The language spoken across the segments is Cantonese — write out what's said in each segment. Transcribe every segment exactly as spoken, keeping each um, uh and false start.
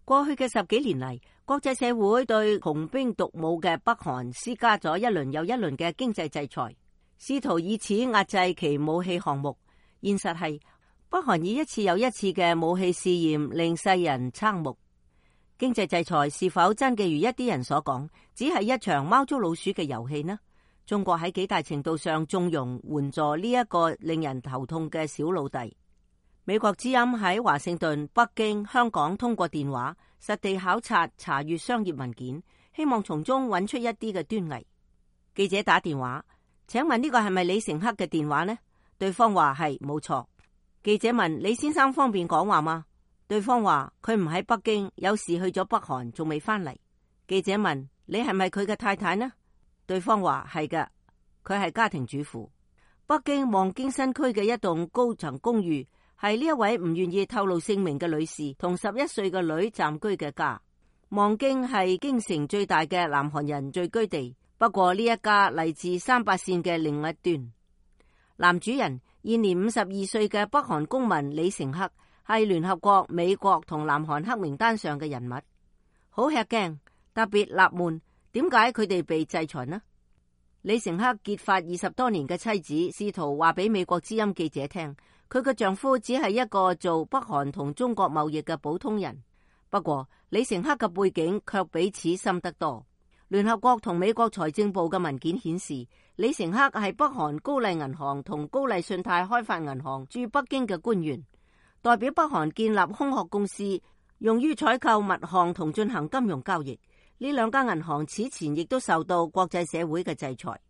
過去嘅十幾年嚟，國際社會對窮兵黷武嘅北韓施加咗一輪又一輪嘅經濟制裁，試圖以此壓制其武器項目。現實係北韓以一次又一次嘅武器試驗令世人瞠目。經濟制裁是否真嘅如一啲人所講，只係一場貓捉老鼠嘅遊戲呢？中國喺幾大程度上縱容援助呢一個令人頭痛嘅小老弟。美國之音喺華盛頓、北京、香港通過電話實地考察查閱商業文件，希望從中揾出一啲嘅端倪。記者打電話，請問呢個係咪李成克嘅電話呢？對方話係，冇錯。記者問李先生方便講話嗎？對方話佢唔喺北京，有事去咗北韓，仲未翻嚟。記者問你係咪佢嘅太太呢？對方話係嘅，佢係家庭主婦。北京望京新區嘅一棟高層公寓，係呢一位唔願意透露姓名嘅女士同十一歲嘅女暫居嘅家。望京係京城最大嘅南韓人聚居地，不過呢一家嚟自三八線嘅另一端。男主人現年五十二歲嘅北韓公民李成克，係聯合國、美國同南韓黑名單上嘅人物，好吃驚，特別納悶，點解佢哋被制裁呢？李成克結髮二十多年嘅妻子試圖話俾美國之音記者聽，佢嘅丈夫只係一個做北韓同中國貿易嘅普通人。不過李成克嘅背景卻比此深得多。聯合國同美國財政部嘅文件顯示，李成克係北韓高麗銀行同高麗信貸開發銀行駐北京嘅官員，代表北韓建立空殼公司，用於採購物項同進行金融交易。呢兩家銀行此前亦都受到國際社會嘅制裁。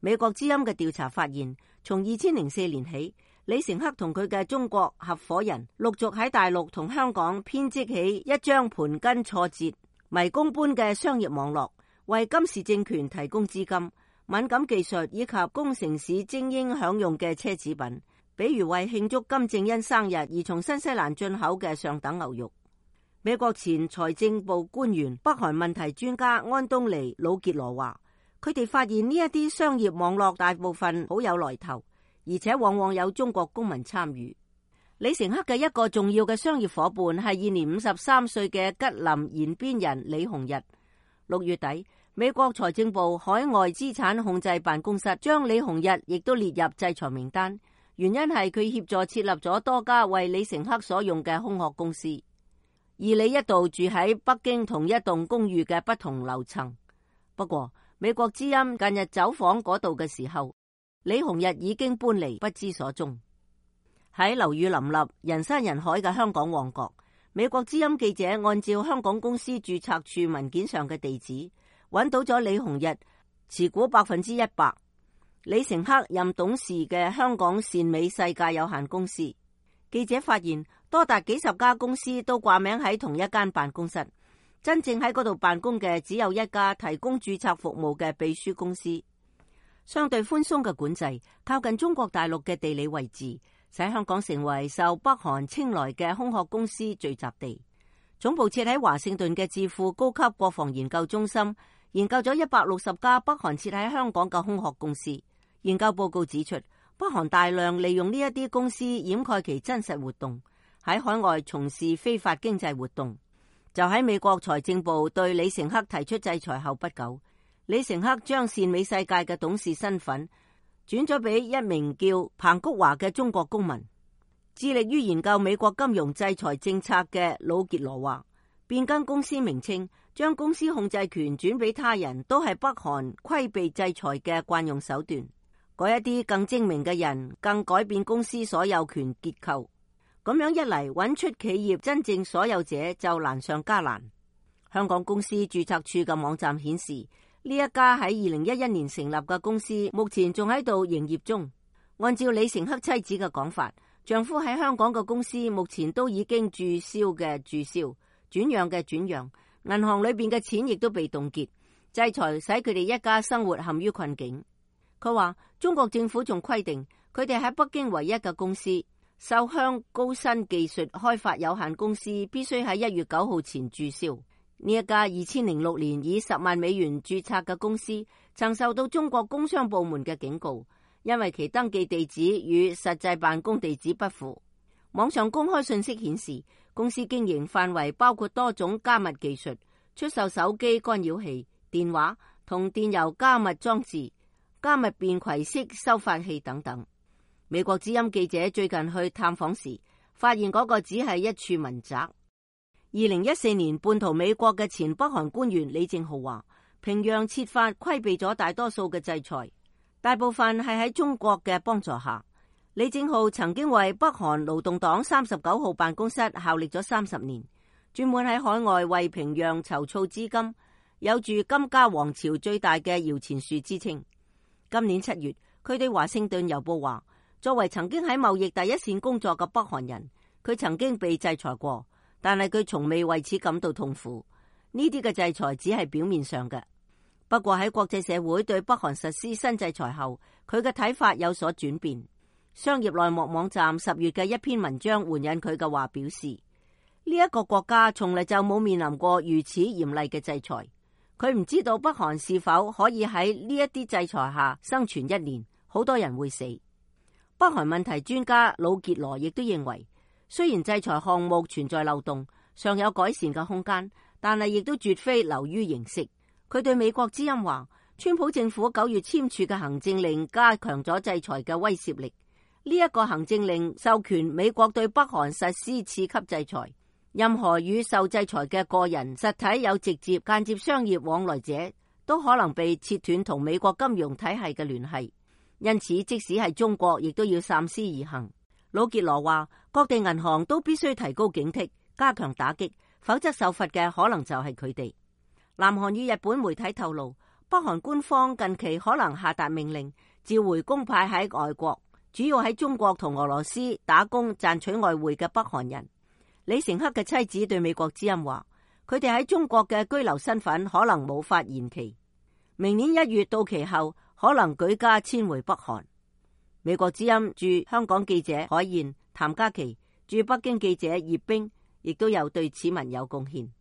美國之音嘅調查發現，從二千零四年起，李成克同佢嘅中國合夥人陸續喺大陸同香港編織起一張盤根錯節、迷宮般嘅商業網絡，為金氏政權提供資金、敏感技術以及供城市精英享用嘅奢侈品，比如為慶祝金正恩生日而從新西蘭進口嘅上等牛肉。美國前財政部官員、北韓問題專家安東尼·魯傑羅話，佢哋發現呢一啲商業網絡大部分好有來頭，而且往往有中國公民參與。李成克嘅一個重要嘅商業夥伴係現年五十三歲嘅吉林延邊人李洪日。六月底，美國財政部海外資產控制辦公室將李洪日亦都列入制裁名單，原因係佢協助設立咗多家為李成克所用嘅空殼公司。而李一度住喺北京同一棟公寓嘅不同樓層。不過，美國之音近日走訪嗰度嘅時候，李洪日已經搬離不知所蹤。喺樓宇林立、人山人海嘅香港旺角，美國之音記者按照香港公司註冊處文件上嘅地址，揾到咗李洪日持股百分之一百，李成克任董事嘅香港善美世界有限公司。記者發現，多達幾十家公司都掛名喺同一間辦公室，真正喺嗰度辦公嘅只有一家提供註冊服務嘅秘書公司。相對寬鬆嘅管制，靠近中國大陸嘅地理位置，使香港成為受北韓青睞嘅空殼公司聚集地。總部設喺華盛頓嘅智庫高級國防研究中心研究咗一百六十家北韓設喺香港嘅空殼公司。研究報告指出，北韓大量利用呢一啲公司掩蓋其真實活動，喺海外從事非法經濟活動。就喺美國財政部對李成克提出制裁後不久，李成克將善美世界嘅董事身份轉咗俾一名叫彭菊華嘅中國公民。致力於研究美國金融制裁政策嘅魯傑羅話，變更公司名稱，將公司控制權轉俾他人，都係北韓規避制裁嘅慣用手段。嗰一啲更精明嘅人更改變公司所有權結構，咁樣一嚟，揾出企業真正所有者就難上加難。香港公司註冊處嘅網站顯示，呢一家喺二零一一年成立嘅公司目前仲喺度營業中。按照李成克妻子嘅講法，丈夫喺香港嘅公司目前都已經註銷嘅註銷，轉讓嘅轉讓，銀行裏邊嘅錢亦都被凍結，制裁使佢哋一家生活陷於困境。佢話中國政府仲規定，佢哋喺北京唯一嘅公司秀香高新技術開發有限公司必須喺一月九號前註銷。呢一家二千零六年以十萬美元註冊嘅公司，曾受到中國工商部門嘅警告，因為其登記地址與實際辦公地址不符。網上公開信息顯示，公司經營範圍包括多種加密技術，出售手機干擾器、電話同電郵加密裝置、加密便攜式收發器等等。美國之音記者最近去探訪時，發現嗰個只係一處民宅。二零一四年叛逃美國嘅前北韓官員李正浩話，平壤設法規避咗大多數嘅制裁，大部分係喺中國嘅幫助下。李正浩曾經為北韓勞動黨三十九號辦公室效力咗三十年，專門喺海外為平壤籌措資金，有住金家王朝最大嘅搖錢樹之稱。今年七月，佢對華盛頓郵報話，作為曾經喺貿易第一線工作嘅北韓人，佢曾經被制裁過，但係佢從未為此感到痛苦。呢啲嘅制裁只係表面上嘅。不過喺國際社會對北韓實施新制裁後，佢嘅睇法有所轉變。商業內幕網站十月嘅一篇文章援引佢嘅話表示，呢一個國家從嚟就冇面臨過如此嚴厲嘅制裁。佢唔知道北韓是否可以喺呢一啲制裁下生存一年，好多人會死。北韓問題專家魯傑羅亦都認為，雖然制裁項目存在漏洞，尚有改善嘅空間，但係亦都絕非流於形式。佢對美國之音話，川普政府九月簽署嘅行政令加強咗制裁嘅威懾力。呢一個行政令授權美國對北韓實施次級制裁，任何與受制裁嘅個人、實體有直接、間接商業往來者，都可能被切斷同美國金融體系嘅聯繫。因此，即使係中國，亦都要三思而行。魯傑羅話，各地銀行都必須提高警惕，加強打擊，否則受罰嘅可能就係佢哋。南韓與日本媒體透露，北韓官方近期可能下達命令，召回公派喺外國，主要喺中國同俄羅斯打工賺取外匯嘅北韓人。李成克嘅妻子對美國之音話，佢哋喺中國嘅居留身份可能無法延期，明年一月到期後可能舉家遷回北韓。美國之音駐香港記者海燕、譚嘉琪，駐北京記者葉冰，亦都有對此文有貢獻。